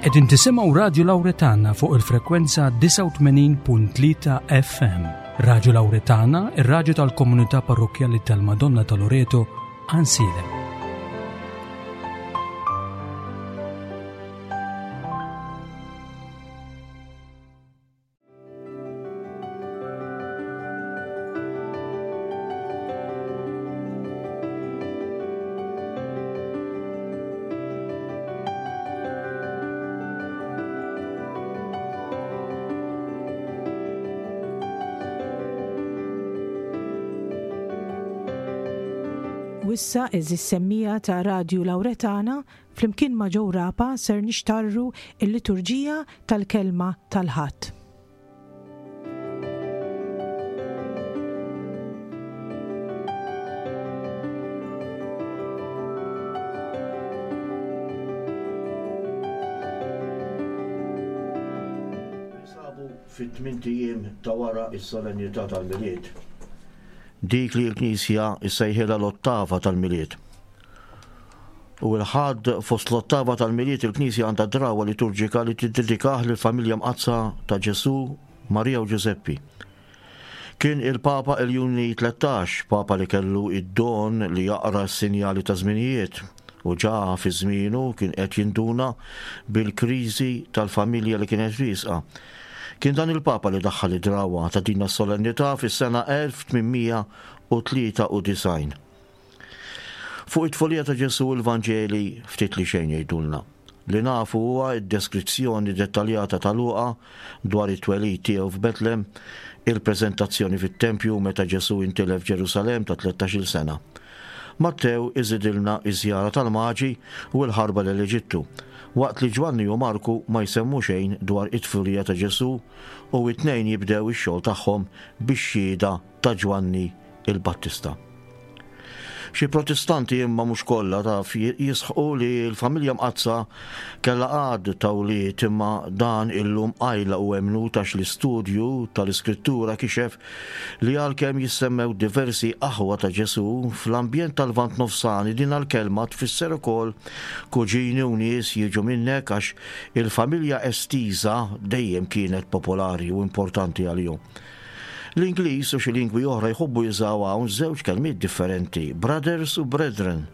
Qegħdin tisimgħu Radju Lawretana fuq il-frekwenza 89.3 FM. Radju Lawretana, ir-radju tal-komunità parrokkjali tal-Madonna ta' Loreto, Ansilem. U issa, għeżież semmiegħa ta' Radju Lawretana, flimkien ma' Joe Rapa ser nixtarru l-liturġija tal-Kelma tal-Ħadd. Ninsabu fit-tmint ijiem ta' wara s-solennità tal-Milied, dik li l-Knisja ssejħilha l-Ottava tal-Milied. U l-Ħadd fost l-Ottava tal-Milied il-Knisja għandha drawwa liturġika li tiddedikah lill-Familja Mqaddsa ta' Ġesù, Marija u Ġużeppi. Kien il-Papa Iljuni 13, Papa li kellu id-don li jaqra s-sinjali ta' żminijiet u ġa fi żmienu kien qed jinduna bil-kriżi tal-familja li kienet riesqa. Kien dan il-Papa li daħħal id-drawwa ta' din is-solennità fis-sena 1893. Fuq it-tfulija ta' Ġesù l-Vanġeli ftit li xejn jgħidulna. Li nafu huwa d-deskrizzjoni dettaljata ta' Luqa dwar it-twelid tiegħu f'Betlem, il-preżentazzjoni fit-tempju meta Ġesù intilef Ġerusalemm ta' tlettax-il sena. Mattew iżidilna ż-żjara tal-Maġi u l-ħarba lejn l-Eġittu, waqt li Ġwanni u Marku ma jsemmu xejn dwar it-tfulija ta' Ġesù u t-tnejn jibdew ix-xogħol tagħhom bix-xhieda ta' Ġwanni l-Battista. Xi Protestanti imma mhux kollha taf jisħqu li l-familja mqaddsa kellha għadd ta' wlied imma dan illum qajla u emmnut għax l-istudju tal-Iskrittura kixef li għalkemm jissemmew diversi aħwa ta' Ġesù, fl-ambjent tal-Lvant Nofsani din l-kelma tfisser ukoll kuġini u nies jiġu minnek għax il-familja estiża dejjem kienet popolari u importanti għalihom. L-Ingliż u xi lingwi oħra jħobbu jużaw hawn żewġ kelmiet differenti, brothers u brethren.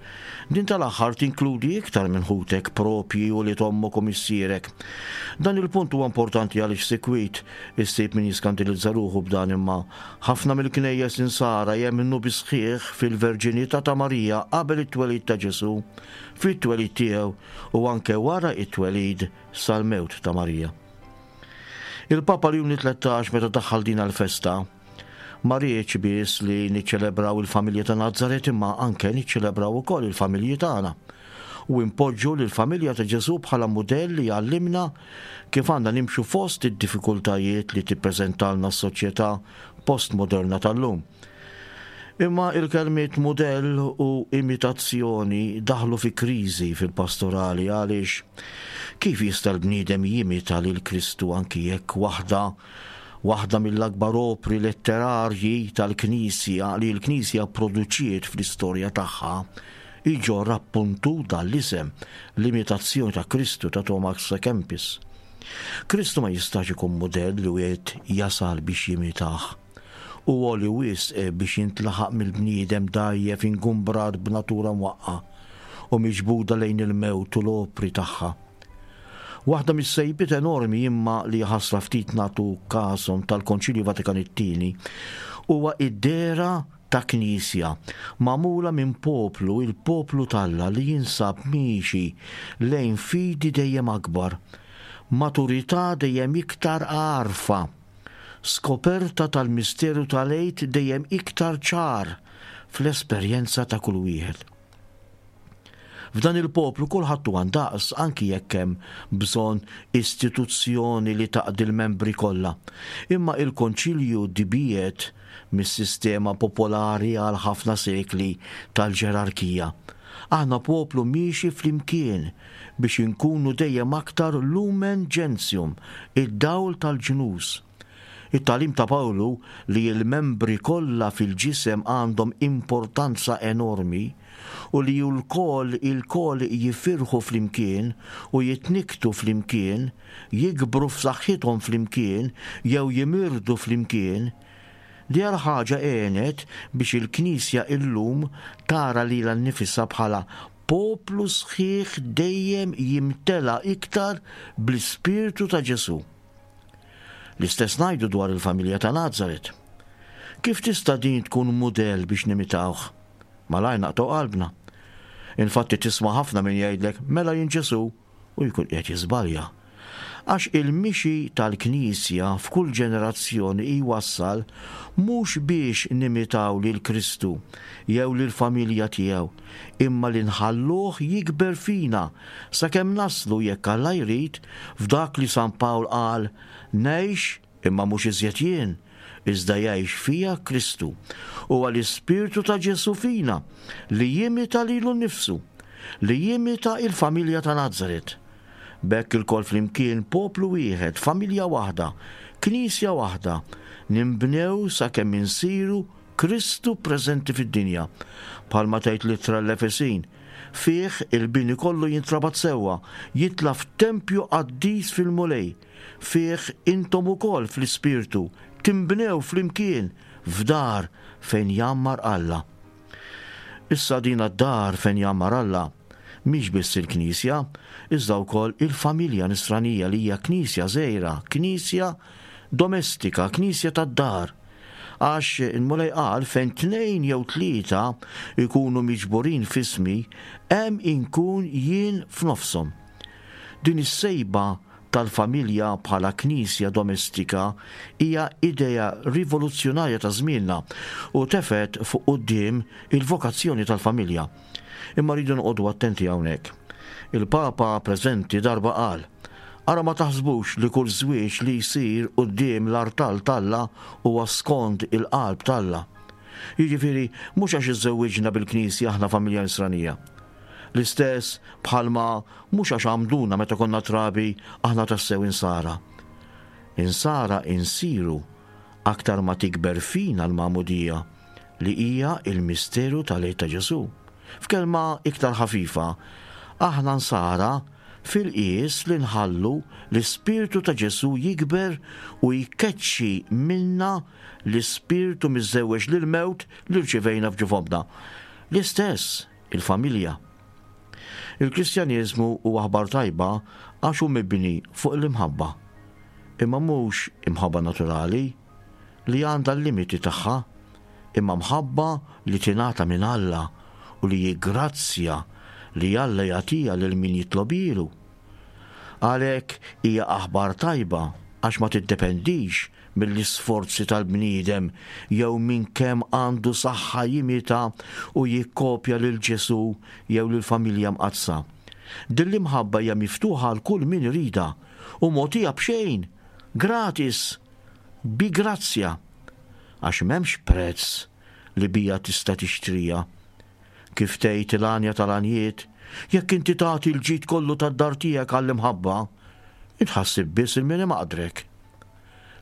Din tal-aħħar tinkludi iktar minn ħutek proprji u ulied ommok u missierek. Dan il-punt huwa importanti għaliex sikwit issib min jiskandilizza ruħu b'dan imma ħafna mill-knejjes insara jemmnu bis-sħiħ fil-verġinità ta' Marija qabel it-twelid ta' Ġesù, fit-twelid tiegħu u anke wara t-twelid sal-mewt ta' Marija. Il-Papa Ljuni 13 meta daħħal din l-festa, ma riedx biss li niċċelebraw il-familja ta' Nazaret imma anke niċċelebraw ukoll il-familji tagħna u npoġġu lill-familja ta' Ġesù bħala mudell li jgħallimna kif għandna nimxu fost id-diffikultajiet li tippreżentalna s-soċjetà postmoderna tal-lum. Imma il-kelmiet mudell u imitazzjoni daħlu fi kriżi fil-pastorali għaliex kif jista' l-bniedem jimita lil Kristu anki jekk waħda waħda mill-akbar opri letterarji tal-Knisja li l-Knisja pproduċiet fl-istorja tagħha jġorr appuntu dan l-isem, l-Imitazzjoni ta' Kristu ta' Thomas à Kempis. Kristu ma jistax ikun mudell li wieħed jasal biex jimitah. Hu għoli wisq biex jintlaħaq mill-bniedem dgħajjef ingumbrat b'natura mwaqqgħa u miġbuda lejn il-mewt u l-opri tagħha. Waħda mis-sejbiet enormi imma li ħasra ftit nagħtu kashom tal-Konċilju Vatikan it-Tieni huwa id-dehra ta' Knisja magħmula minn poplu, il-poplu t'Alla li jinsab miexi lejn fidi dejjem akbar, maturità dejjem iktar għarfa, skoperta tal-misteru tal-Għid dejjem iktar ċar fl-esperjenza ta' kull wieħed. F'dan il-poplu kulħadd huwa ndaqs anki jekk hemm bżonn istituzzjoni li taqdi l-membri kollha. Imma il-Konċilju tbiegħed mis-sistema popolari għal ħafna sekli tal-ġerarkija. Aħna poplu miexi flimkien biex inkunu dejjem aktar lumen gentium, id-dawl tal-ġnus. It-tagħlim ta' Pawlu li l-membri kollha fil-ġisem għandhom importanza enormi. u li lkoll ilkoll jifirħu flimkien u jitnikktu flimkien, jikbru f'saħħithom flimkien jew jimirdu flimkien, Dihar ħaġa għenet biex il-Knisja illum tara lilha nnifisha bħala poplu sħiħ dejjem jimtela iktar bl-Ispirtu ta' Ġesù. L-istess ngħidu dwar il-familja ta' Nazaret. Kif tista' din tkun mudell biex nimitawh? Malajr naqtgħu qalbna. Infatti tisma' ħafna min jgħidlek mela jien Ġesù u jkun qiegħed jiżbalja. Għax il-mixi tal-Knisja f'kull ġenerazzjoni jwassal mhux biex nimitaw lil Kristu jew lill-familja tiegħu, imma li nħalluh jikber fina sakemm naslu, jekk Alla jrid, f'dak li San Pawl qal, Ngħix, Imma mhux iżjed jien, iżda jgħix fija Kristu. Huwa l-Ispirtu ta' Ġesù fina li jimita lilu nnifsu, li jimita il-familja ta' Nazaret. B'hekk ilkoll flimkien poplu wieħed, familja waħda, Knisja waħda, ninbnew sakemm insiru Kristu preżenti fid-dinja. Bħalma tgħid l-Ittra l-Efesin, Fih il-bini kollu jintrabat sewwa, jitla' f'tempju qaddis fil-Mulej. Fih intom ukoll fl-Ispirtu tinbnew flimkien f'dar fejn jgħammar Alla. Issa dina d-dar fejn jgħammar Alla mhix biss il-Knisja, iżda wkoll il-familja nisranija li hija Knisja żgħira, Knisja domestika, Knisja tad-dar. Għax il-Mulej qal fejn tnejn jew tlieta jkunu miġburin f'ismi, hemm inkun jien f'nofshom. Din is-sejba tal-familja bħala knisja domestika hija idea rivoluzzjonarja ta' żmienna u tefgħet fuq quddiem il-vokazzjoni tal-familja. Imma rridu noqogħdu attenti hawnhekk. Il-Papa preżenti darba qal, Ara ma taħsbux li kull żwieġ li jsir quddiem l-artal t'Alla huwa skond il-qalb t'Alla. Jiġifieri mhux għax iżżewwiġna bil-Knisja aħna familja Nisranija. L-istess bħalma mhux għax għammduna meta konna trabi aħna tassew insara. Insara insiru aktar ma tikber fina l-magħmudija li hija l-misteru tal-Għid ta' Ġesù. F'kelma iktar ħafifa, aħna nsara fil-qies li nħallu l-ispirtu ta' Ġesù jikber u jkeċċi minna l-ispirtu miżżewweġ lill-mewt li rċivejna f'ġuf ommna. L-istess il-familja. Il-Kristjaneżmu huwa aħbar tajba għax hu mibni fuq l-imħabba. Imma mhux imħabba naturali, li għandha l-limiti tagħha, imma mħabba li tingħata minn Alla u li hi grazzja li Alla jagħtiha lil min jitlobhielu. Għalhekk hija aħbar tajba għax ma tiddependix mill-isforzi tal-bniedem jew minn kemm għandu saħħa jimita u jikkopja lil Ġesù jew lill-Familja Mqaddsa. Din l-imħabba hija miftuħa għal kull min iridha u mogħtija b'xejn, gratis, bi grazzja, għax m'hemmx prezz li biha tista' tixtriha. Kif tgħid il-għanja tal-għanjiet, jekk inti tagħti l-ġid kollu tad-dar tiegħek għall-imħabba, int ħa ssib biss 'il min imaqdrek.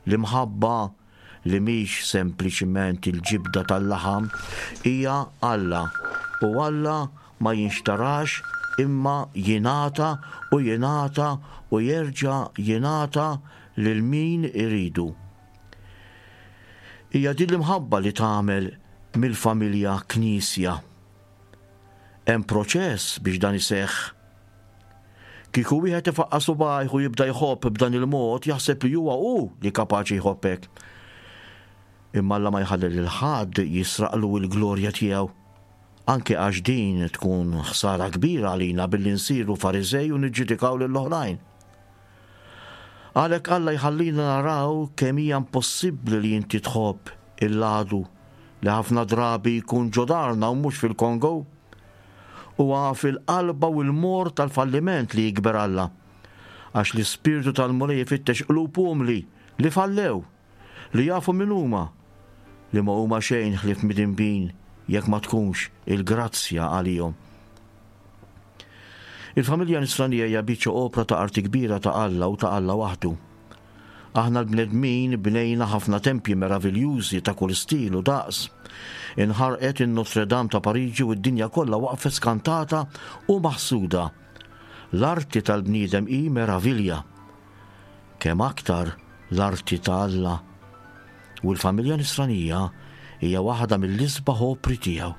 L-imħabba li mhix sempliċiment il-ġibda tal-laħam hija Alla u Alla ma jinxtarax imma jingħata u jingħata u jerġa' jingħata lil min iridu. Hija din l-imħabba li tagħmel mill-familja Knisja. Hemm proċess biex dan iseħħ. Kieku wieħed ifaqqa' subgħajh u jibda jħobb b'dan il-mod jaħseb li huwa hu li kapaċi jħobb hekk. Imma Alla ma jħalli lil ħadd jisraqlu l-glorja tiegħu. Anke għax din tkun ħsara kbira għalina billi nsiru Fariżej u niġġudikaw lill-oħrajn. Għalhekk Alla jħallina naraw kemm hija impossibbli li inti tħobb il-għadu li ħafna drabi jkun ġo darna u mhux fil-Kongo. Huwa fil-qalba u l-morr tal-falliment li jikber Alla. Għax l-Ispirtu tal-Mulej ifittex qlub umli li fallew, li jafu min huma, li ma huma xejn ħlief midinbin jekk ma tkunx il-grazzja għalihom. Il-familja nisranija hija biċċa opra ta' arti kbira ta' Alla u ta' Alla waħdu. Aħna l-bnedmin bnejna ħafna tempji meraviljużi ta' kull stil u daqs. Inħarqet in-Notre Dame ta' Pariġi u d-dinja kollha waqfet skantata u maħsuda. L-arti tal-bniedem hi meravilja. Kemm aktar l-arti ta' Alla! U l-familja Nisranija hija waħda mill-isbaħ opri tiegħu.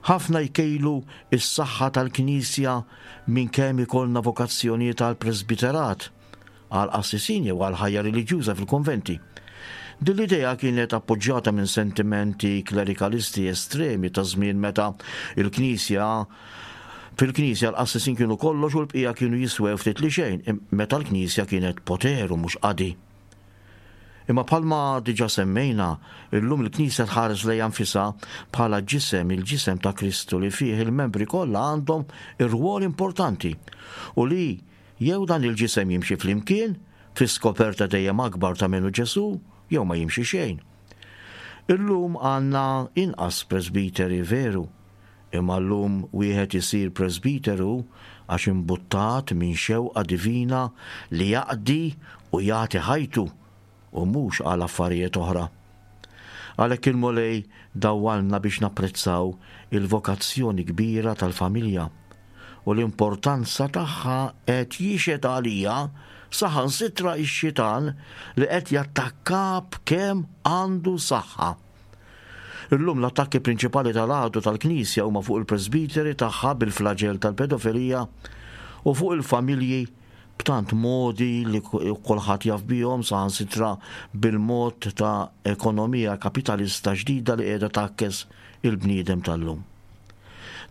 Ħafna jkejlu s-saħħa tal-Knisja minn kemm ikollna vokazzjonijiet għall-presbiterat, għall-qassisin jew għall-ħajja reliġjuża fil-kunventi. Din l-idea kienet appoġġjata minn sentimenti klerikalisti estremi ta' żmien meta l-Knisja fil-Knisja l-qassisin kienu kollox u l-bqija kienu jiswew ftit li xejn, meta l-Knisja kienet poter u mhux qadi. Imma bħalma diġà semmejna, illum il-Knisja tħares lejha nfisha bħala ġisem, il-ġisem ta' Kristu li fih il-membri kollha għandhom irwol importanti u li jew dan il-ġisem jimxi flimkien fi skoperta dejjem akbar ta' min hu Ġesù jew ma jimxi xejn. Illum għandna inqas presbiteri veru, imma llum wieħed isir presbiteru għax imbuttat minn xewqa divina li jaqdi u jagħti ħajtu u mhux għal affarijiet oħra. Għalhekk il-Mulej dawwalna biex napprezzaw il-vokazzjoni kbira tal-familja u l-importanza tagħha qed jixhed għalija saħansitra x-xitan li qed jattakka b'kemm għandu saħħa. Illum l-attakki prinċipali tal-għadu tal-Knisja huma fuq il-presbiteri tagħha bil-flaġell tal-pedofilija u fuq il-familji b'tant modi li kulħadd jaf bihom saħansitra bil-mod ta' ekonomija kapitalista ġdida li qiegħda tgħakkes il-bniedem tal-lum.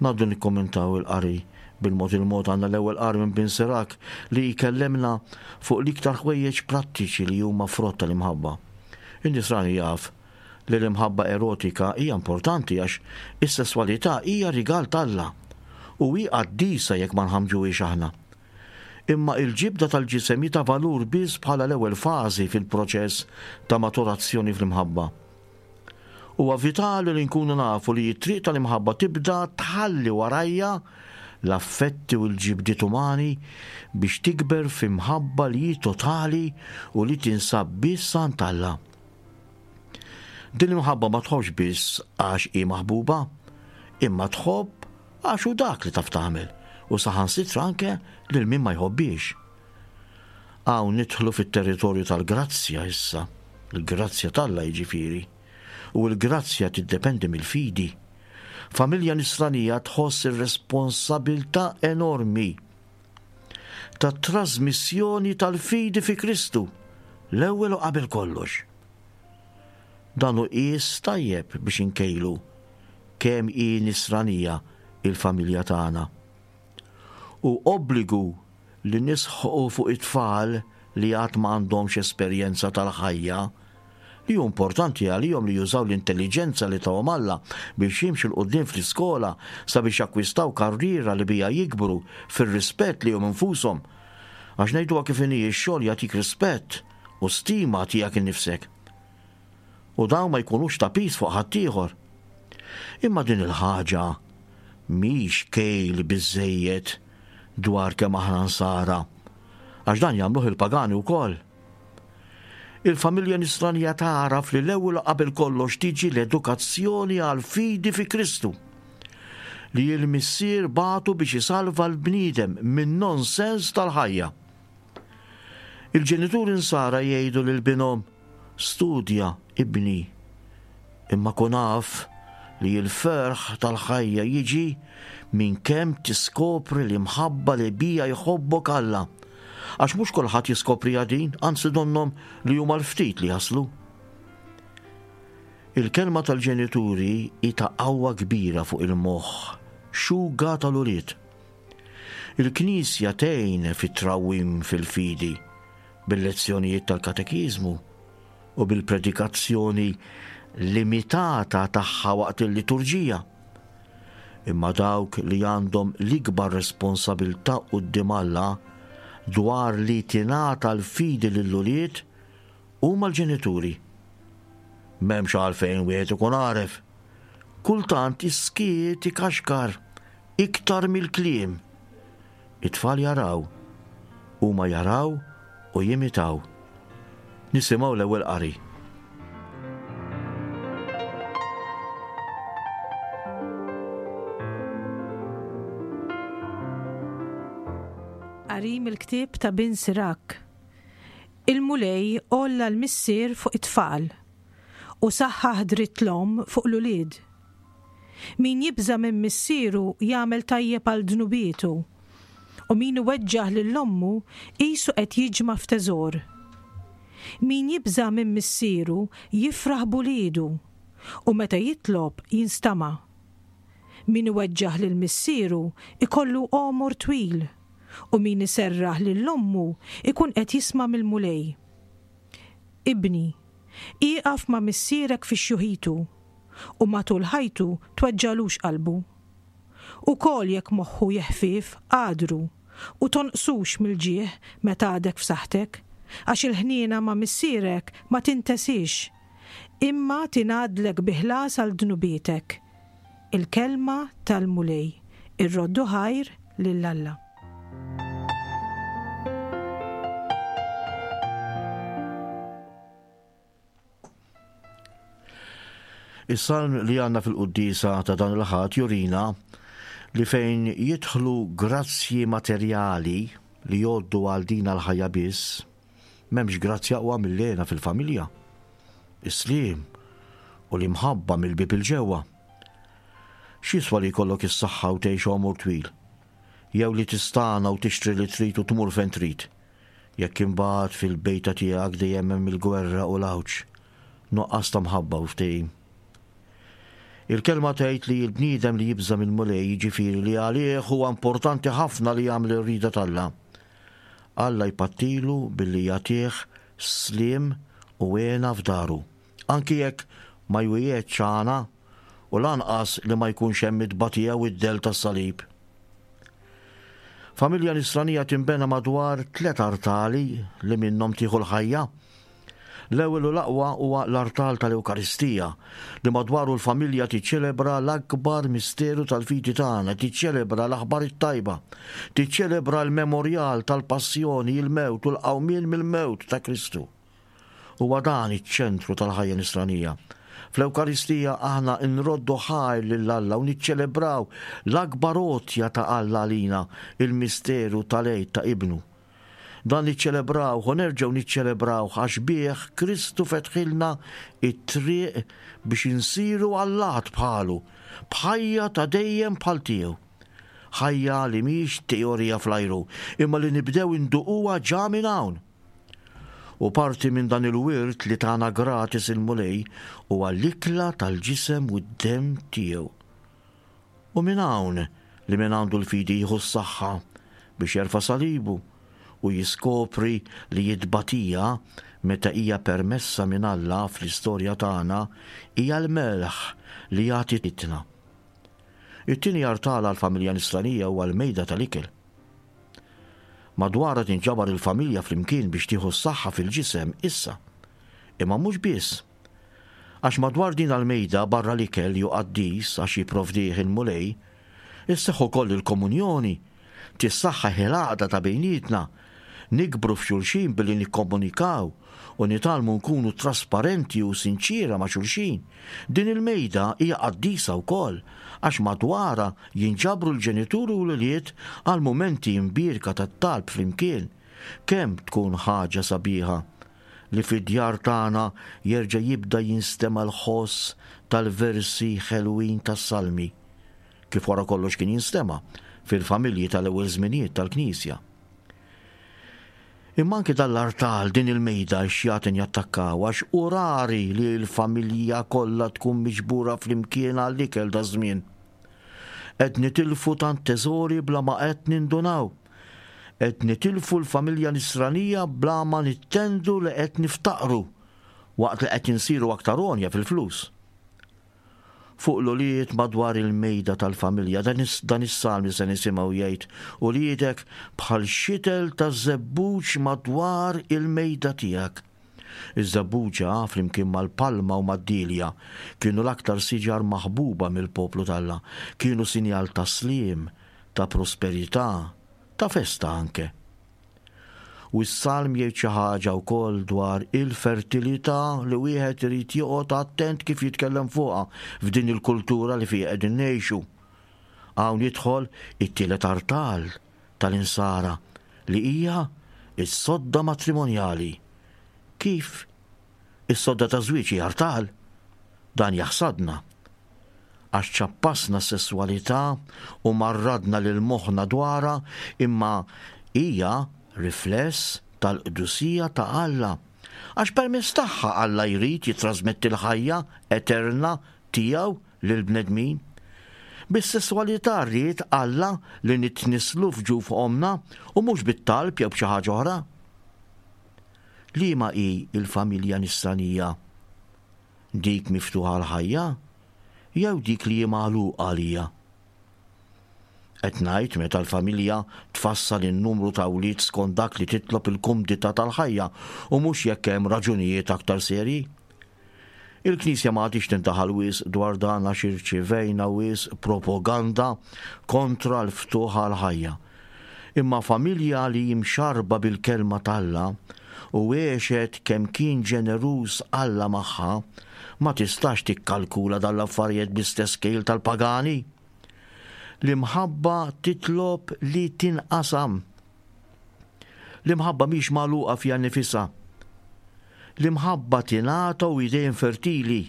Ngħaddu nikkommentaw il-qari bil-mod il-mod għandna l-ewwel qari minn Bin Sirak li jkellemna fuq l-iktar ħwejjeġ prattiċi li huma frott tal-imħabba. In-Nisrani jaf li l-imħabba erotika hija importanti għax is-sesswalità hija rigal t'Alla u hi qaddisa jekk ma nħammġuhiex aħna. Imma il-ġibda tal-ġisem hi ta' valur biss bħala l-ewwel fażi fil-proċess ta' maturazzjoni fl-imħabba. Huwa vitali li nkunu nafu li t-triq tal-imħabba tibda tħalli warajha l-affetti u l-ġibdiet umani biex tikber f'imħabba li hi totali u li tinsab biss għand Alla. Din l-imħabba ma tħobbx biss għax hi maħbuba, imma tħobb għax hu dak li taf tagħmel u saħansitra anke lil min ma jħobbhiex. Hawn nidħlu fit-territorju tal-grazzja issa, il-grazzja t'Alla jiġifieri. U l-grazzja tiddependi mill-fidi. Familja nisranija tħoss ir-responsabilità enormi tat-trasmissjoni tal-fidi fi Kristu l-ewwel u qabel kollox. Dan hu qies tajjeb biex inkejlu kemm hi nisranija il-familja tagħna. Hu obbligu li nisħqu fuq it-tfal li għad ma għandhomx esperjenza tal-ħajja, li hu importanti għalihom li jużaw l-intelliġenza li tahom Alla biex jimxu 'l quddiem fl-iskola sabiex jakkwistaw karriera li biha jikbru fir-rispett lejhom infushom. Għax ngħiduha kif inhi x-xogħol jagħtik rispett u stima tiegħek innifsek. U dawn ma jkunux ta' piż fuq ħaddieħor. Imma din il-ħaġa mhix kejl biżżejjed dwar kemm aħna nsara, għax dan jagħmluh il-pagani wkoll. Il-familja nisranija tagħraf li l-ewwel u qabel kollox tiġi l-edukazzjoni għall-fidi fi Kristu, li l-Missier bagħtu biex isalva l-bniedem min-nonsens tal-ħajja. Il-ġenituri nsara jgħidu lil binhom, Studja, ibni, imma kun af li l-ferħ tal-ħajja jiġi minn kemm tiskopri l-imħabba li bija jħobbok Alla. Għax mhux kulħadd jiskopriha din, anzi donnhom li huma l-ftit li jaslu. Il-kelma tal-ġenituri hi ta' qawwa kbira fuq il-moħħ xuga tal-ulied. Il-Knisja tgħin fit-trawwim fil-fidi bil-lezzjonijiet tal-katekiżmu u bil-predikazzjoni limitata tagħha waqt il-liturġija. Imma dawk li għandhom l-ikbar responsabilità quddiem Alla dwar li tingħata l-fidi lill-ulied huma l-ġenituri. M'hemmx għalfejn wieħed ikun għaref. Kultant is-skiet ikaxkar iktar mill-kliem. It-tfal jaraw. Huma jaraw u jimitaw. Nisimgħu l-ewwel qari. Qari mill-ktieb ta' Bin Sirak. Il-Mulej għolla l-missier fuq it-tfal u saħħaħ dritt l-omm fuq l-ulied. Min jibża' minn missieru jagħmel tajjeb għal dnubietu, u min iweġġaħ lil ommu qisu qed jiġma' f'teżor. Min jibża' minn missieru jifraħ b'uliedu, u meta jitlob jinstama'. Min iweġġaħ lil missieru jkollu għomor twil, u min iserraħ lil ommu jkun qed jisma' mill-Mulej. Ibni, ieqaf ma' missierek fi xjuħitu, u matul ħajtu tweġġagħlux qalbu. Ukoll jekk moħħu jeħfief, għadru, u tonqsux mill-ġieħ meta għadek f'saħħtek, għax il-ħniena ma' missierek ma tintesiex, imma tingħaddlek bi ħlas għal dnubietek. Il-Kelma tal-Mulej. Irroddu ħajr lil Alla. Is-salm li għandna fil-quddiesa ta' dan il-Ħadd jurina li fejn jidħlu grazzji materjali li jgħoddu għal din l-ħajja biss, m'hemmx grazzja aqwa mill-hena fil-familja, is-sliem u l-imħabba mill-bieb 'il ġewwa. X'jiswa li jkollok is-saħħa u tgħix għomor twil, jew li tistagħna u tixtri li trid u tmur fejn trid, Jekk imbagħad fil-bejta tiegħek dejjem hemm il-gwerra u l-għawġ, nuqqas ta' mħabba u ftehim. Il-Kelma tgħid li l-bniedem li jibża' mill-Mulej, jiġifieri li għalih huwa importanti ħafna li jagħmel ir-rieda t'Alla, Alla jpattilu billi jagħtih sliem u hena f'daru, anki jekk ma jwiegħedx għana u lanqas li ma jkunx hemm it-tbatija u d-dell tas-salib. Familja Nisranija tinbena madwar tlet artali li minnhom tieħu l-ħajja. L-ewwel u l-aqwa huwa l-artal tal-Ewkaristija, li madwaru l-familja tiċċelebra l-akbar misteru tal-fidi tagħna, tiċċelebra l-aħbar it-tajba, tiċċelebra l-memorjal tal-passjoni, il-mewt u l-qawmien mill-mewt ta' Kristu. Huwa dan iċ-ċentru tal-ħajja Nisranija. Fl-Ewkaristija aħna nroddu ħajr lil Alla u niċċelebraw l-akbar għotja ta' Alla għalina, il-misteru tal-Għid ta' Ibnu. Dan niċċelebrawh u nerġgħu niċċelebrawh għax bih Kristu fetħilna t-triq biex insiru allat bħalu, b'ħajja ta' dejjem bħal tiegħu. Ħajja li mhix teorija fl-ajru, imma li nibdew induquha ġa minn hawn. U parti minn dan il-wirt li tana gratis il-Mulej huwa l-ikla tal-ġisem u d-demm tiegħu. U minn hawn li min għandu l-fidi jieħu s-saħħa biex jerfa' salibu u jiskopri li t-tbatija meta hija permessa minn Alla fl-istorja tagħna hija l-melħ li jagħti itna. It-tieni artal għall-familja Nisranija huwa l-mejda tal-ikel. Madwarha tinġabar il-familja flimkien biex tieħu s-saħħa fil-ġisem issa. Imma mhux biss. Għax madwar din l-mejda barra l-ikel li hu qaddis għax jipprovdih il-Mulej, isseħħ ukoll il-komunjoni, tissaħħaħ il-għaqda ta' bejnietna, nikbru f'xulxin billi nikkomunikaw u nitgħallmu nkunu trasparenti u sinċiera ma' xulxin. Din il-mejda hija qaddisa wkoll għax madwarha jinġabru l-ġenituri u l-ulied għal mumenti mbierka ta' talb flimkien. Kemm tkun ħaġa sabiħa li fid-djar tagħna jerġa' jibda jinstema' l-ħoss tal-versi ħelwin tas-salmi, kif wara kollox kien jinstema' fil-familji tal-ewwel żminijiet tal-Knisja. Imma anki dan l-artal, din il-mejda x-xjaten jattakkaw għax hu rari li l-familja kollha tkun miġbura flimkien għall-ikel daż-żmien. Qed nitilfu tant teżori bla ma qed nindunaw. Qed nitilfu l-familja nisranija bla ma nittendu li qed niftaqru waqt li qed insiru aktar għonja fil-flus. Fuq l-ulied madwar il-mejda tal-familja. Dan is-salm li se nisimgħu jgħid, Uliedek bħal xitel ta' żebbuġ madwar il-mejda tiegħek. Iż-żebbuġa, flimkien mal-palma u mad-dielja, kienu l-aktar siġar maħbuba mill-poplu t'Alla. Kienu sinjal ta' sliem, ta' prosperità, ta' festa anke. U s-salm jgħid xi ħaġa wkoll dwar il-fertilità li wieħed irid joqgħod attent kif jitkellem fuqha f'din il-kultura li fiha qegħdin ngħixu. Hawn jidħol it-tielet artal tal-insara li hija s-sodda matrimonjali. Kif? Is-sodda taż-żwieġ hi artal? Dan jaħsadna. Għax ċappasna s-sesswalità u marradna lil moħħna dwarha imma hija rifless tal-qdusija ta' Alla. Għax permezz tagħha Alla jrid jittrasmetti l-ħajja eterna tiegħu lill-bnedmin. Bis-sesswalità ried Alla li nitnisslu f'ġuf ommna u mhux bit-talb jew b'xi ħaġa oħra. Liema hi l-familja nisranija? Dik miftuħa għall-ħajja jew dik li hi magħluqa għalija? Qed ngħid meta l-familja tfassal in-numru ta' wlied skont dak li titlob il-kumdità tal-ħajja u mhux jekk hemm raġunijiet aktar serji. Il-Knisja ma għadhiex tindaħal wisq dwar dan għax irċivejna wisq propaganda kontra l-ftuħ għall-ħajja. Imma familja li hi mxarrba bil-Kelma t'Alla u għexet kemm kien ġeneruż Alla magħha, ma tistax tikkalkula dan l-affarijiet bl-istess kejl tal-pagani. L-imħabba titlob li tinqasam. L-imħabba mhix magħluqa fiha nnifisha. L-imħabba tingħata u hi dejjem fertili.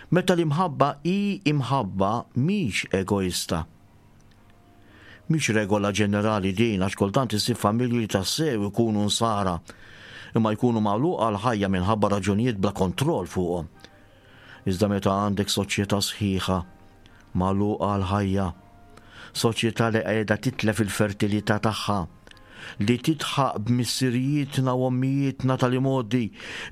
Meta l-imħabba hi imħabba mhix egoista. Mhix regola ġenerali din għax kultant issib familji li tassew ikunu nsara imma jkunu magħluqa għall-ħajja minħabba raġunijiet bla kontroll fuqhom. Iżda meta għandek soċjetà sħiħa magħluqa għall-ħajja, soċjetà li qiegħda titlef il-fertilità tagħha, li tidħaq b'missirijietna u ommijietna tal-imgħoddi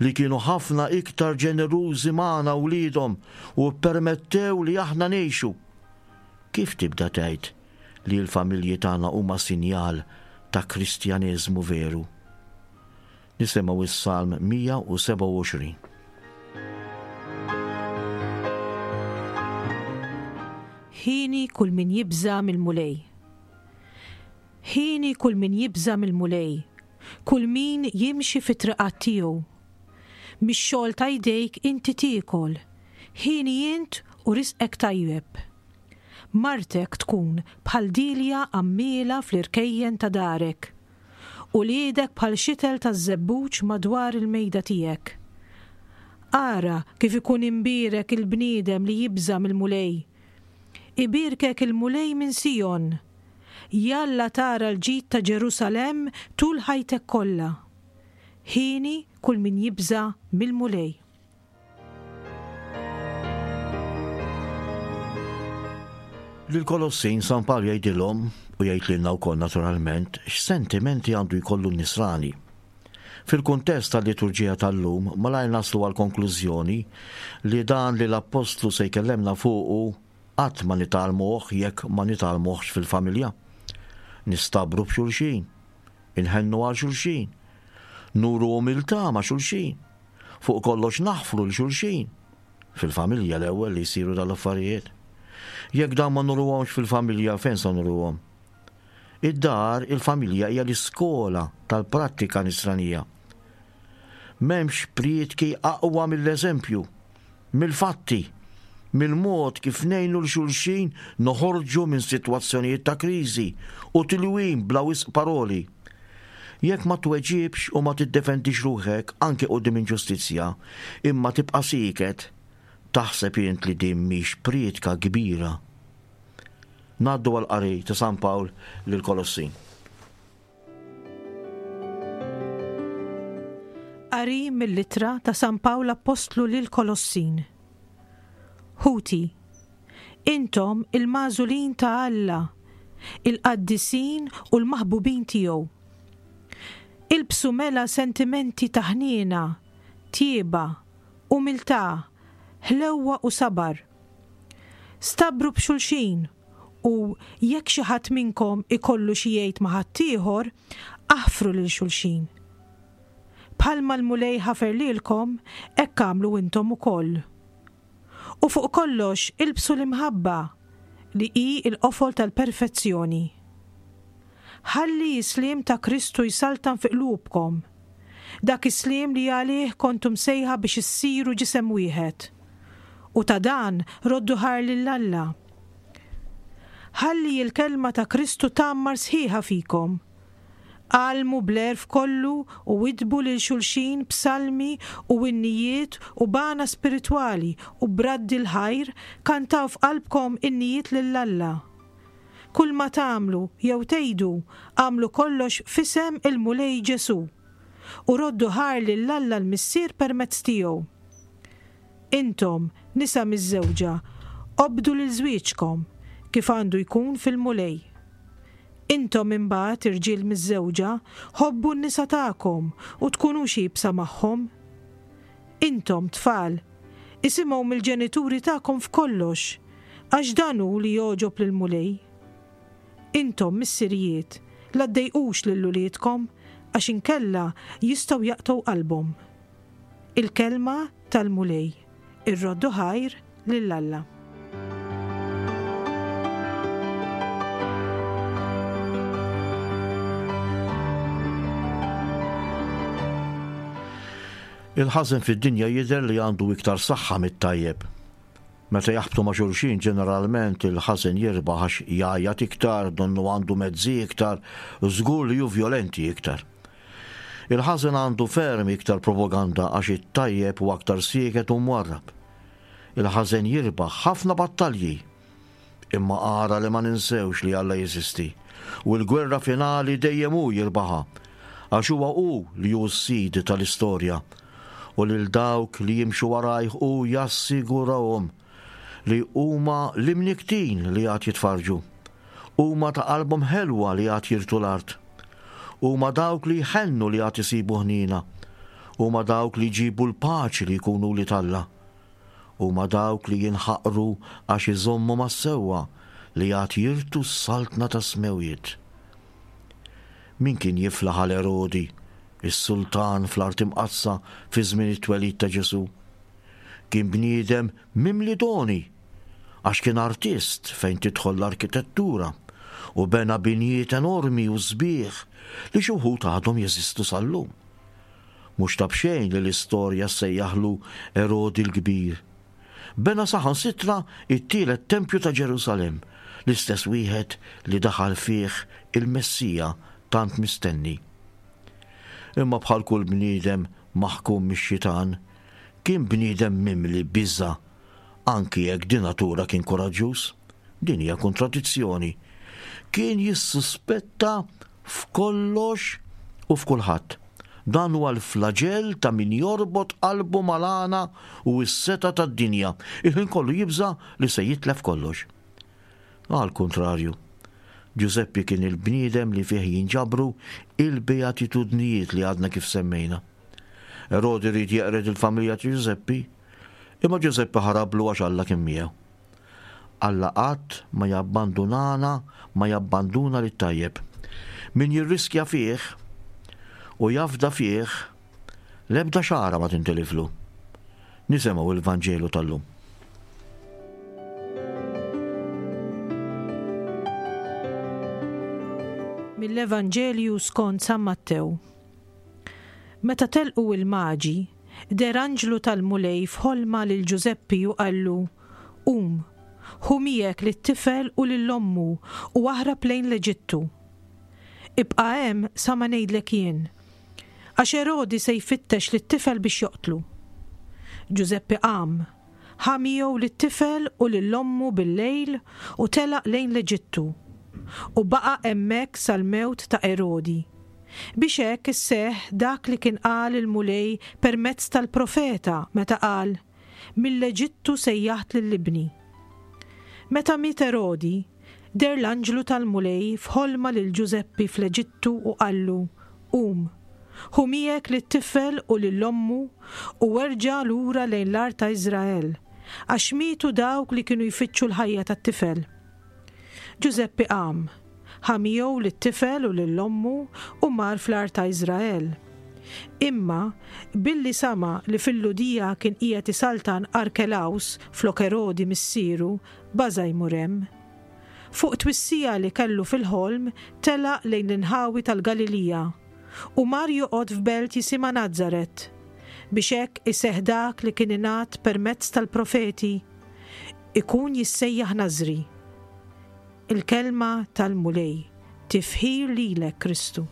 li kienu ħafna iktar ġenerużi magħna wliedhom u ppermettew li aħna ngħixu. Kif tibda tgħid li l-familji tagħna huma sinjal ta' Kristjaneżmu veru? Nisimgħu s-Salm 127. Hieni kull min jibża' mill-Mulej. Hieni kull min jibża' mill-Mulej, kull min jimxi fit-triqat tiegħu. Mix-xogħol ta' jdejk inti tiekol, hieni int u risqek tajjeb. Martek tkun bħal dielja għammiela fl-irkejjen ta' darek, uliedek bħal xitel taż-żebbuġ madwar il-mejda tiegħek. Ara kif ikun imbierek il-bniedem li jibża' mill-Mulej! Ibierkek il-Mulej minn Sijon! Jalla tara l-ġid ta' Ġerusalemm tul ħajtek kollha! Hieni kull min jibża' mill-Mulej. Lill-Kolossin San Pawl jgħidilhom, u jgħid lilna wkoll naturalment, x'sentimenti għandu jkollu n-Nisrani. Fil-kuntest tal-liturġija tal-lum, malajr naslu għall-konklużjoni li dan li l-Appostlu se jkellemna fuqu qatt ma nitgħallmuh jekk ma nitgħallmuhx fil-familja. Nistabru b'xulxin. Inħennu għal xulxin. Nuru umiltà ma' xulxin. Fuq kollox naħfru 'l xulxin. Fil-familja l-ewwel li jsiru dal-affarijiet. Jekk dawn ma nuruhomx fil-familja fejn se nuruhom? Id-dar, il-familja hija l-iskola tal-prattika nisranija. M'hemmx prietki aqwa mill-eżempju, mill-fatti, mill-mod kif ngħinu 'l xulxin noħorġu minn sitwazzjonijiet ta' kriżi u tilwim bla wisq paroli. Jekk ma tweġibx u ma tiddefendix ruħek anke quddiem inġustizzja, imma tibqa' sieket, taħseb int li din mhix prietka kbira? Ngħaddu għall-qari ta' San Pawl lill-Kolossin. Qari mill-Ittra ta' San Pawl Appostlu lill-Kolossin. Ħuti, intom il-magħżulin ta' Alla, il-qaddisin u l-maħbubin tiegħu. Ilbsu mela sentimenti ta' ħniena, tjieba, umiltà, ħlewwa u sabar. Stabru b'xulxin u jekk xi ħadd minnkom ikollu xi jgħid ma' ħaddieħor, aħfru lil xulxin. Bħalma l-Mulej ħafer lilkom, hekk agħmlu intom ukoll. U fuq kollox ilbsu l-imħabba, li hi l-qofol tal-perfezzjoni. Ħalli s-sliem ta' Kristu jsaltan fi qlubkom, dak is-sliem li għalih kontu msejħa biex issiru ġisem wieħed. U ta' dan roddu ħajr lil Alla. Ħalli l-kelma ta' Kristu tgħammar sħiħa fikom. Għallmu bl-għerf kollu u widdbu lil xulxin b'salmi u innijiet u b'għana spiritwali u b'radd il-ħajr kantaw f'qalbkom innijiet lil Alla. Kulma tagħmlu jew tgħidu, agħmlu kollox f'isem il-Mulej Ġesù, u roddu ħajr lil Alla l-Missier permezz tiegħu. Intom, nisa miżżewġa, obdu lil żwieġkom, kif għandu jkun fil-Mulej. Intom imbagħad, irġiel miżżewġa, ħobbu n-nisa tagħkom u tkunux iebsa magħhom. Intom, tfal, isimgħu mill-ġenituri tagħkom f'kollox, għax dan hu li jogħġob lill-Mulej. Intom, missirijiet, la ddejqux lil uliedkom, għax inkella jistgħu jaqtgħu qalbhom. Il-Kelma tal-Mulej. Irroddu ħajr lil Alla. Il-ħażen fid-dinja jidher li għandu iktar saħħa mit-tajjeb. Meta jaħbtu ma' xulxin ġeneralment il-ħażen jirbaħ għax jgħajjat iktar, donnu għandu mezzi iktar, żgur li hu vjolenti iktar. Il-ħażen għandu ferm iktar propaganda għax it-tajjeb hu aktar sieket u mwarrab. Il-ħażen jirbaħ ħafna battalji. Imma ara li ma ninsewx li Alla jeżisti u l-gwerra finali dejjem hu jirbaħha għax huwa hu li hu s-sid tal-istorja u lil dawk li jimxu warajh hu jassigurahom li huma l-imnikktin li għad jitfarrġu. Huma ta' qalbhom ħelwa li għad jirtu l-art. Huma dawk li jħennu li għad isibu ħniena. Huma dawk li jġibu l-paċi li jkunu wlied Alla. Huma dawk li jinħaqru għax iżommu mas-sewwa li għad jirtu s-saltna tas-smewwiet. Min kien jiflaħ għal Erodi, is-sultan fl-Art Imqaddsa fi żmien it-twelid ta' Ġesù? Kien bniedem mimli doni, għax kien artist fejn tidħol l-arkitettura u bena binjiet enormi u sbieħ li xi wħud għadhom jeżistu sal-lum. Mhux ta' b'xejn li l-istorja ssejjaħlu Erodi l-Kbir. Bena saħansitra t-tielet tempju ta' Ġerusalemm, l-istess wieħed li daħal fih il-Messija tant mistenni. Imma bħal kull bniedem maħkum mix-xitan, kien bniedem mimli biża' anki jekk di natura kien kuraġġuż. Din hija kontradizzjoni. Kien jissuspetta f'kollox u f'kulħadd. Dan huwa l-flaġell ta' min jorbot qalbu mal-għana u s-setgħa tad-dinja. Il-ħin kollu jibża' li se jitlef kollox. Għall-kuntrarju, Ġużeppi kien il-bniedem li fih jinġabru il-beatitudnijiet li għadna kif semmejna. Erodi ried jeqred il-familja ta' Ġużeppi, imma Ġużeppi ħarablu għax Alla kien miegħu. Alla qatt ma jabbandunana, ma jabbanduna lit-tajjeb. Min jirriskja fih u jafda fih, l-ebda xagħra ma tintiliflu. Nisimgħu il-Vanġelu tal-lum. Mill-Evanġelju skont San Mattew. Meta telqu l-Maġi, deher anġlu tal-Mulej f'ħolma lil Ġużeppi u qallu, Qum, ħu miegħek lit-tifel u lil ommu u aħrab lejn l-Eġittu. Ibqa' hemm sa ma ngħidlek jien, għax Erodi se jfittex lit-tifel biex joqtlu. Ġużeppi qam, Ħa miegħu lit-tifel u lil ommu bil-lejl u telaq lejn l-Eġittu, u baqa' hemmhekk sal-mewt ta' Erodi, biex hekk isseħħ dak li kien qal il-Mulej permezz tal-profeta meta qal, Mill-Eġittu sejjaħt lil ibni. Meta miet Erodi, deher l-anġlu tal-Mulej f'ħolma lil Ġużeppi fl-Eġittu u qallu, Qum, ħu miegħek lit-tifel u lil ommu u erġa' lura lejn l-art ta' Iżrael, għax mietu dawk li kienu jfittxu l-ħajja tat-tifel. Ġużeppi qam, ħa miegħu lit-tifel u lil ommu u mar fl-art ta' Iżrael. Imma, billi sama' li fil-Lhudija kien qiegħed isaltan Arkelaws flok Erodi missieru, baża' jmur hemm. Fuq twissija li kellu fil-ħolm telaq lejn l-inħawi tal-Galilija u mar joqgħod f'belt jisimha Nazaret, biex hekk iseħħ dak li kien ingħad permezz tal-profeti, Ikun jissejjaħ Nażri. Il-Kelma tal-Mulej. Tifħir lilek, Kristu.